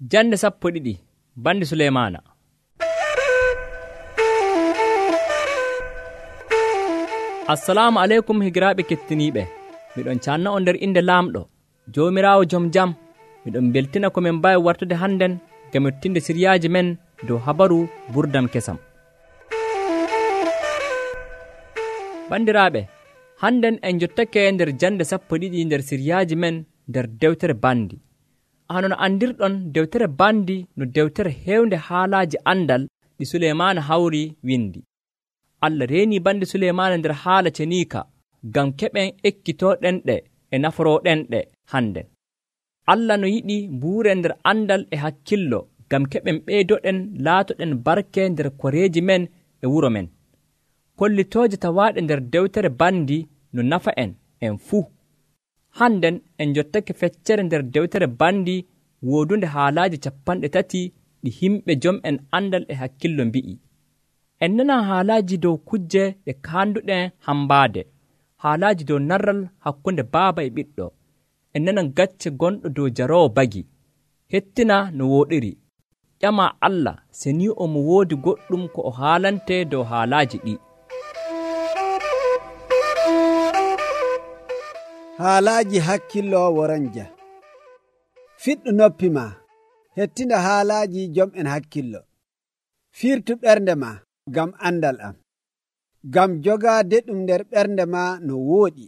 Jande 12 bandi Suleymaana. Assalamu aleykum higiraaɓe kettiniiɓe. Miɗon canna on nder inde laamɗo Joomiraawo jom jam. Miɗon beltina ko min mbawi wartude hannden ngam yottinde siryaaji men dow habaru burdam kesam. Bandiraaɓe, hannden en jottake nder jande 12 nder siryaaji men nder dewtere bandi. Hono no andirɗon dewtere bandi no dewtere hewnde haalaaji andal ɗi Suleymaana hawri windi. Allah reeni bandi Suleymaana nder haala ceniika ngam keɓen ekkitooɗenɗe e naforooɗenɗe hannden. Allah no yiɗi mbuuren nder andal e hakkillo ngam keɓen ɓeydoɗen laatoɗen barke nder koreeji men e wuro men. Kollitooje tawaaɗe nder dewtere bandi no nafa en fuu. Hannden en jottake feccere nder dewtere bandi woodunde haalaaji 30 ɗi himɓe jom en andal e hakkillo mbi'i. En nanan haalaaji dow kujje ɗe kaanduɗen hambaade, haalaaji dow narral hakkunde baaba e ɓiɗɗo. En nanan gacce gonɗo dow jaroowo bagi. Hettina no wooɗiri. ƴama Allah se ni omo woodi goɗɗum ko o haalante dow haalaaji ɗi. Haalaaji hakkillo woronja. Fiɗɗu noppi ma, hettinda haalaaji jom en hakkillo. Firtu ɓernde ma ngam andal am, ngam jogaade ɗum nder ɓernde ma no wooɗi,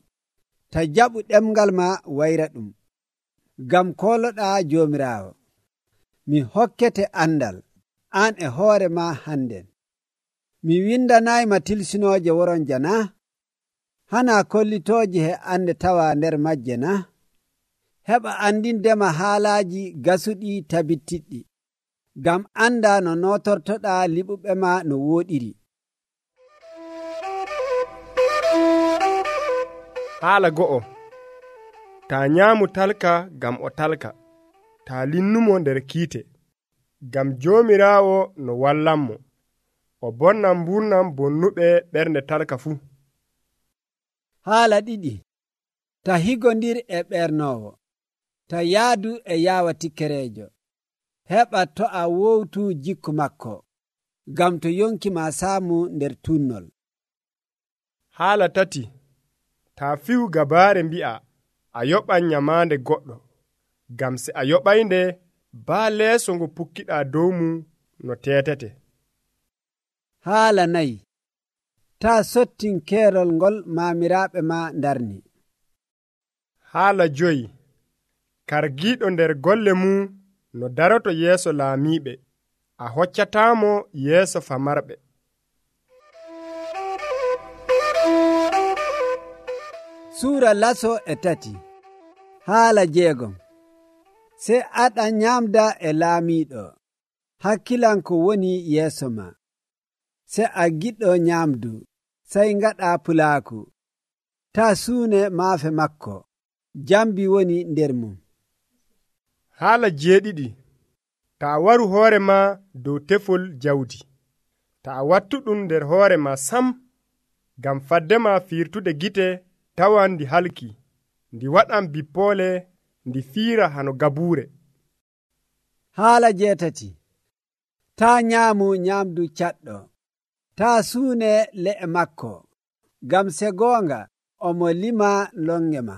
ta jaɓu ɗemgal ma wayra ɗum, ngam kooloɗaa Joomiraawo. Mi hokkete andal, an e hoore ma hannden. Mi windanayma tilsinooje woronja na? Hana kollitooje he ande tawa nder majje na? Heɓa andindema haalaaji gasuɗi tabittiɗɗi, ngam anda no nootortoɗaa liɓuɓe ma no wooɗiri. Haala go'o, ta nyaamu talka ngam o talka, ta linnumo nder kiite, ngam Joomiraawo no wallanmo, o bonnan mburnam bonnuɓe ɓernde talka fuu. Haala ɗiɗi, ta higondir e ɓernoowo, ta yaadu e yaawa tikkereejo, heɓa to a wowtu jikku makko, ngam to yonki ma saamu nder tunnol. Haala tati, ta fiwu gabaare mbi'a a yoɓan nyamaande goɗɗo, ngam se a yoɓaynde baa leeso ngo pukkiɗaa dow mum no teetete. Haala nayi, ta sottin keerol ngol maamiraaɓe ma ndarni. Haala joyi, kargiiɗo nder golle mum no daroto yeeso laamiiɓe, a hoccataamo yeeso famarɓe. Suura laso e tati. Haala jeegom, se aɗa nyaamda e laamiiɗo, hakkilanko woni yeeso ma. Se a giɗɗo nyaamdu, sey ngaɗa pulaaku. Ta suune maafe makko, jambi woni nder mum. Haala jeeɗiɗi, ta waru hoore ma dow tefol jawdi, ta wattu ɗum nder hoore ma sam, ngam fadde ma firtude gite tawan ndi halki, ndi waɗan bippoole, ndi fiira hano gabuure. Haala jeetati, ta nyaamu nyaamdu caɗɗo, ta suune le'e makko, ngam se goonga omo lima longe ma.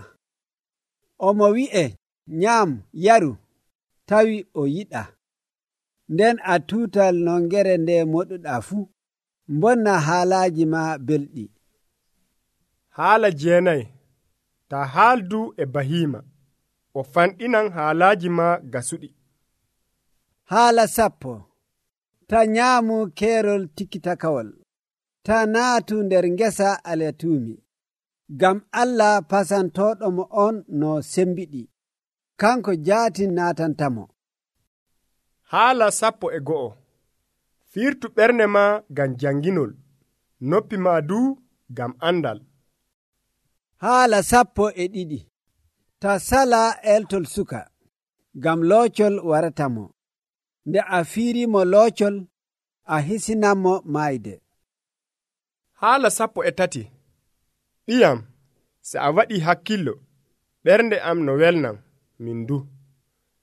Omo wi'e nyaam yaru, tawi o yiɗa. Nden a tuutal nongere nde moɗuɗaa fuu, mbonna haalaaji ma belɗi. Haala jeenayi, ta haaldu e bahiima, o fanɗinan haalaaji ma gasuɗi. Haala 10, ta nyaamu keerol tikkitakawol, ta naatu nder ngesa aletuumi, ngam Allah pasantooɗomo on no sembiɗi, kanko jaatin naatantamo. Haala 11, firtu ɓernde ma ngam janginol, noppi ma duu ngam andal. Haala 12, ta sala eltol suka, ngam loocol waratamo. Nde a fiirimo loocol, a hisinanmo maayde. Haala 13, ɓiyam, se a waɗi hakkillo, ɓernde am no welnam, min du.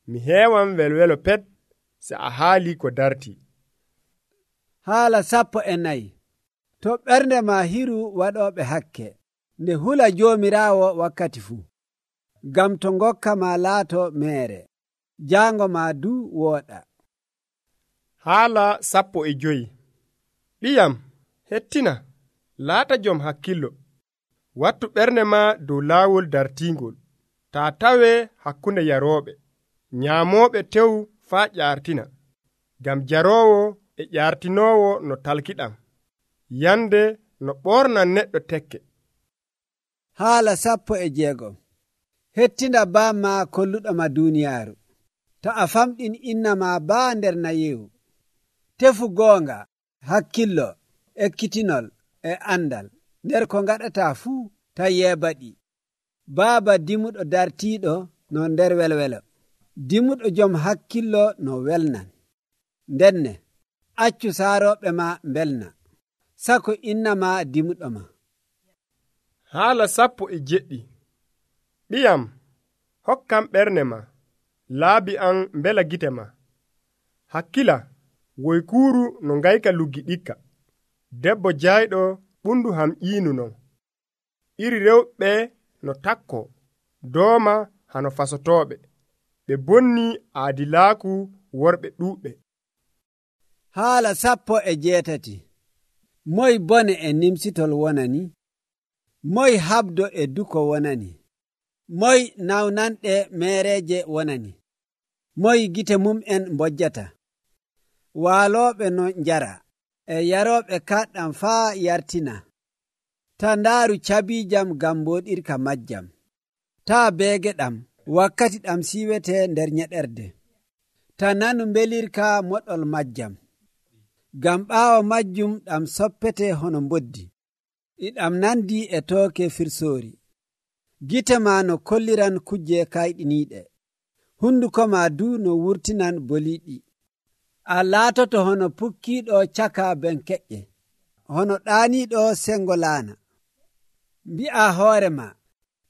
Mi heewan welwelo pet se a haali ko darti. Haala 14. To ɓernde ma hiru waɗoɓe hakke, nde hula Joomiraawo wakkati fuu, ngam to ngokka ma laato meere, jaango ma du wooɗa. Haala 15. Ɓiyam, hettina, laata jom hakkillo, wattu ɓernde ma dow laawol dartiingol, taa tawe hakkunde yarooɓe, nyaamooɓe tew faa ƴaartina, ngam jaroowo e ƴaartinoowo no talkiɗam, yande no ɓornan neɗɗo tekke. Haala 16. Hettinda baama kolluɗoma duuniyaaru, to a famɗin inna ma baa nder nayewu. Tefu goonga, hakkillo, ekkitinol e andal nder ko ngaɗata fuu, ta yeebaɗi. Baaba dimuɗo dartiiɗo no nder welwelo, dimuɗo jom hakkillo no welnan. Ndenne, accu saarooɓe ma mbelna, sako inna ma dimuɗo ma. Haala 17. Ɓiyam, hokkam ɓernde ma, laabi an mbela gite ma. Hakkila, woykuuru no ngayka luggi ɗikka, debbo jayɗo ɓundu ham ƴiinu non. Iri rewɓe no takko, dooma hano fasotooɓe, ɓe bonni aadilaaku worɓe ɗuuɓɓe. Haala 18. Moy bone e nimsitol wonani? Moy habdo e duko wonani? Moy nawnanɗe meereeje wonani? Moy gite mum'en mbojjata? Waalooɓe no njara, e yarooɓe kaɗɗam faa yartina. Ta ndaaru cabiijam ngam mbooɗirka majjam. Taa beege ɗam wakkati ɗam siiwete nder nyeɗerde. Ta nanu mbelirka moɗol majjam. Ngam ɓaawo majjum ɗam soppete hono mboddi. Ɗam nandi e tooke firsoori. Gite ma no kolliran kujje kayɗiniiɗe. Hunduko ma du no wurtinan boliiɗi. A laatoto hono pukkiiɗo caka benkeƴƴe, hono ɗaaniiɗo sengo laana. Mbi'a hoore ma,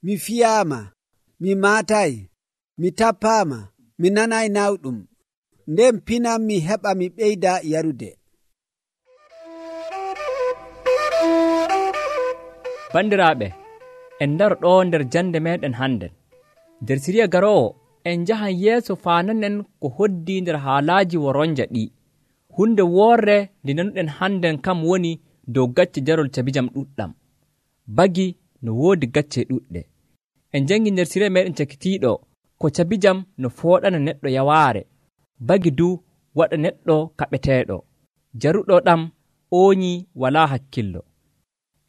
mi fiyaama, mi maatayi, mi tappaama, mi nanayi nawɗum, nden pinam mi heɓa mi ɓeyda yarude. Bandiraaɓe, en ndaro ɗo nder jande meɗen hannden. Nder siriya garoowo en njahan yeeso faananen ko hoddi nder haalaaji woronja ɗi. Hunde woorre nde nanuɗen hannden kam woni dow gacce jarol cabijam ɗuɗɗam. Bagi no woodi gacce ɗuɗɗe. En jangi nder siriya meɗen cakitiiɗo ko cabijam no fooɗana neɗɗo yawaare. Bagi du waɗa neɗɗo kaɓeteeɗo. Jaruɗo ɗam ooñi walaa hakkillo.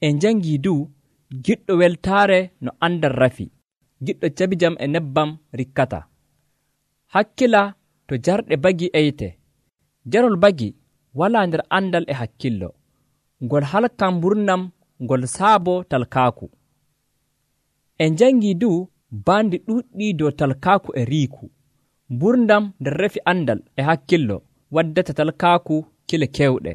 En jangi du giɗɗo weltaare no andal rafi. Giɗɗo cabijam e nebbam rikkata. Hakkila to jarɗe bagi eyte. Jarol bagi walaa nder andal e hakkillo. Ngol halkan mburnam ngol saabo talkaaku. En jangi du baandi ɗuuɗɗi dow talkaaku e riiku. Mburdam nder refi andal e hakkillo waddata talkaaku kile kewɗe.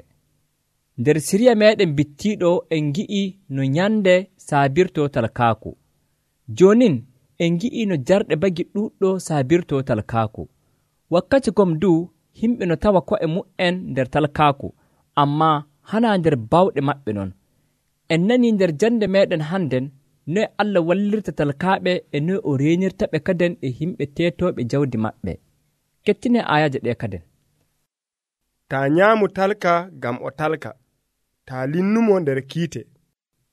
Nder siriya meɗen bittiiɗo en gi'i no nyande saabirto talkaaku. Jonin en gi'i no jarɗe bagi ɗuɗɗo saabirto talkaaku. Wakkati gom du himɓe no tawa ko'e mu'en nder talkaaku, amma hana nder bawɗe maɓɓe non. En nani nder jande meɗen hannden noy Allah wallirta talkaaɓe e noy o reenirta ɓe kaden e himɓe teetoɓe jawdi maɓɓe. Kettine ayaje ɗe kaden. Ta nyaamu talka gam o talka, ta linnumo nder kiite,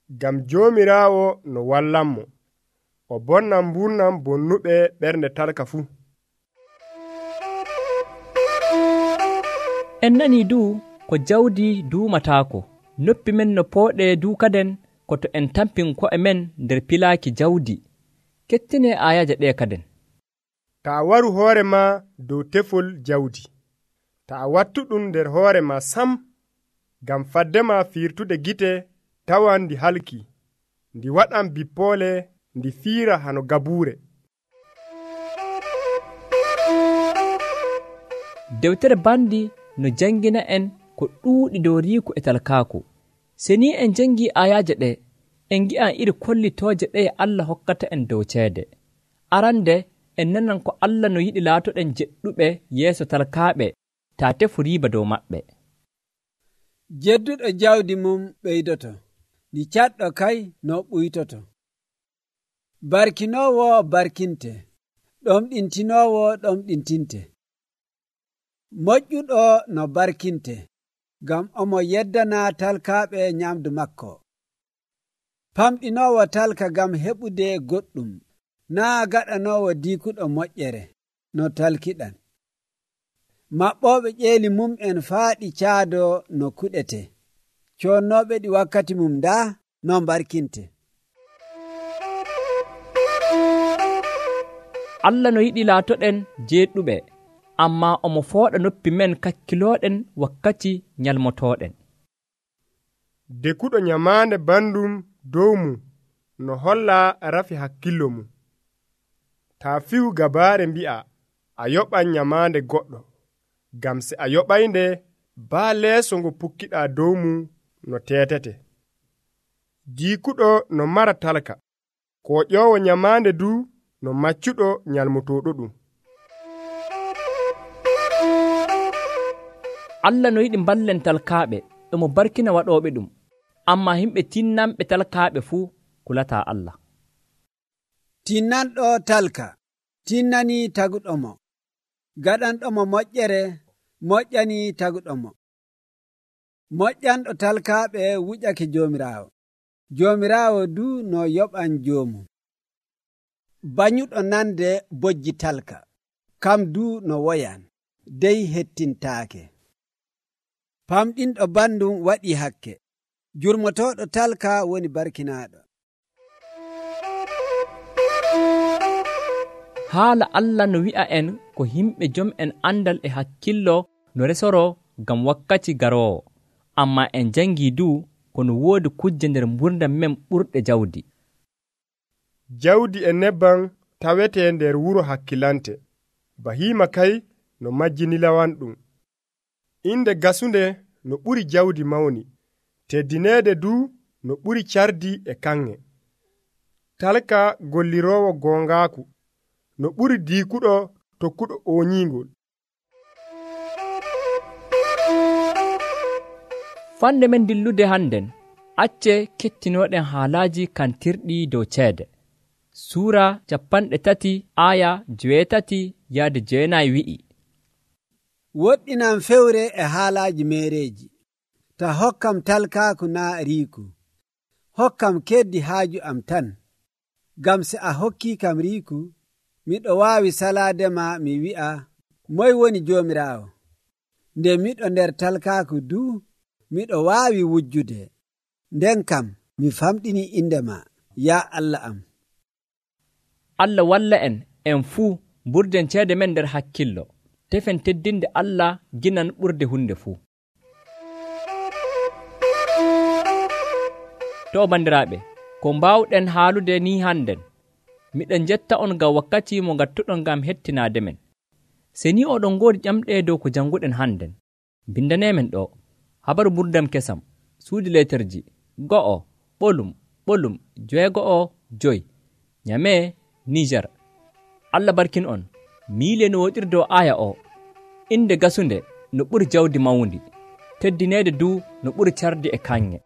gam Joomiraawo no wallanmo, o bonnan mburnam bonnuɓe ɓernde talka fuu. En nani du ko jawdi duumataako, noppi men no pooɗe duukaden ko to en tampin ko'e men nder pilaaki jawdi. Kettine ayaje ɗe kaden. Ta waru hoore ma dow tefol jawdi, ta wattu ɗum nder hoore ma sam, gam fadde ma fiirtude gite tawan ndi halki, ndi waɗan bippoole, ndi fiira hano gabuure. Dewtere bandi no jangina en ko ɗuuɗi dow riiku e talkaaku. Se ni en jangi ayaje ɗe, en gi'an iri kollitooje ɗe Allah hokkata en dow ceede. Arande en nanan ko Allah no yiɗi laatoɗen jeɗɗuɓe yeeso talkaaɓe taa tefu riiba dow maɓɓe. Jedduɗo jawdi mum ɓeydoto, ni caɗɗo kay no ɓuytoto. Barkinoowo barkinte, ɗomɗintinoowo ɗomɗintinte. Moƴƴuɗo no barkinte, ngam omo yeddana talkaaɓe nyamdu makko. Famɗinoowo talka ngam heɓude goɗɗum, naa gaɗanoowo diikuɗo moƴƴere no talkiɗan. Maɓɓooɓe ƴeeli mum'en faaɗi caado no kuɗete. Coonnooɓe ɗi wakkati mum daa no barkinte. Allah no yiɗi laatoɗen jeeɗuɓe, ammaa omo fooɗa noppi men kakkilooɗen wakkati nyalmotooɗen. Dekuɗo nyamaande bandum dow mum no holla rafi hakkillo mum. Taa fi'u gabaare mbi'a a yoɓan nyamaande goɗɗo, ngam se a yoɓaynde baa leeso ngo pukkiɗaa dow mum no teetete. Diikuɗo no mara talka, ko ƴoowo nyamaande du no maccuɗo nyalmotooɗo ɗum. Allah no yiɗi ballen talkaaɓe, emo barkina waɗooɓe ɗum, ammaa himɓe tinnanɓe talkaaɓe fuu kulataa Allah. Tinnanɗo talka tinnanii taguɗomo, gaɗanɗomo moƴƴere moƴƴanii taguɗomo. Moƴƴanɗo talkaaɓe wuƴake Joomiraawo, Joomiraawo du no yoɓan joomum. Banyuɗo nande bojji talka, kam du no woyan, dey hettintaake. Famɗinɗo bandum waɗii hakke, jurmotooɗo talka woni barkinaaɗo. Haala Allah no wi'a en ko himɓe jom'en andal e hakkillo no resoro ngam wakkati garoowo, ammaa en jangii du kono woodi kujje nder mburdam men ɓurɗe jawdi. Jawdi e nebban tawetee nder wuro hakkilante, bahiima kay no majjinilawan ɗum. Inde gasunde no ɓuri jawdi mawni, teddineede du no ɓuri cardi e kanŋe. Talka golliroowo goongaaku no ɓuri diikuɗo tokkuɗo ooñiingol. Fande men dillude hannden, acce kettinooɗen haalaaji kantirɗi dow ceede. Suura 30 aya 8-9 wi'i: Woɗɗinan fewre e haalaaji meereeji, ta hokkam talkaaku naa riiku. Hokkam keddi haaju am tan, ngam se a hokkii kam riiku, miɗo waawi salaadema mi wi'a, moy woni Joomiraawo? Nde miɗo nder talkaaku du, miɗo waawi wujjude. Nden kam mi famɗini indema, yaa Allah am. Allah walla en fuu mburden ceede men nder hakkillo, tefen teddinde Allah ginan ɓurde hunde fuu. To bandiraaɓe, ko mbawɗen haalude ni hannden, miɗen jetta on ngam wakkati mo ngattuɗon ngam hettinaade men. Se ni oɗon ngoodi ƴamɗe dow ko janguɗen hannden, bindanemen ɗo habaru ɓurdam kesam, suudi leterji 1:6:5 Nyame, Niger. Allah barkin on. Miile no woɗiri dow aya o. Inde gasunde no ɓuri jawdi mawndi, teddineede du no ɓuri cardi e kanŋe.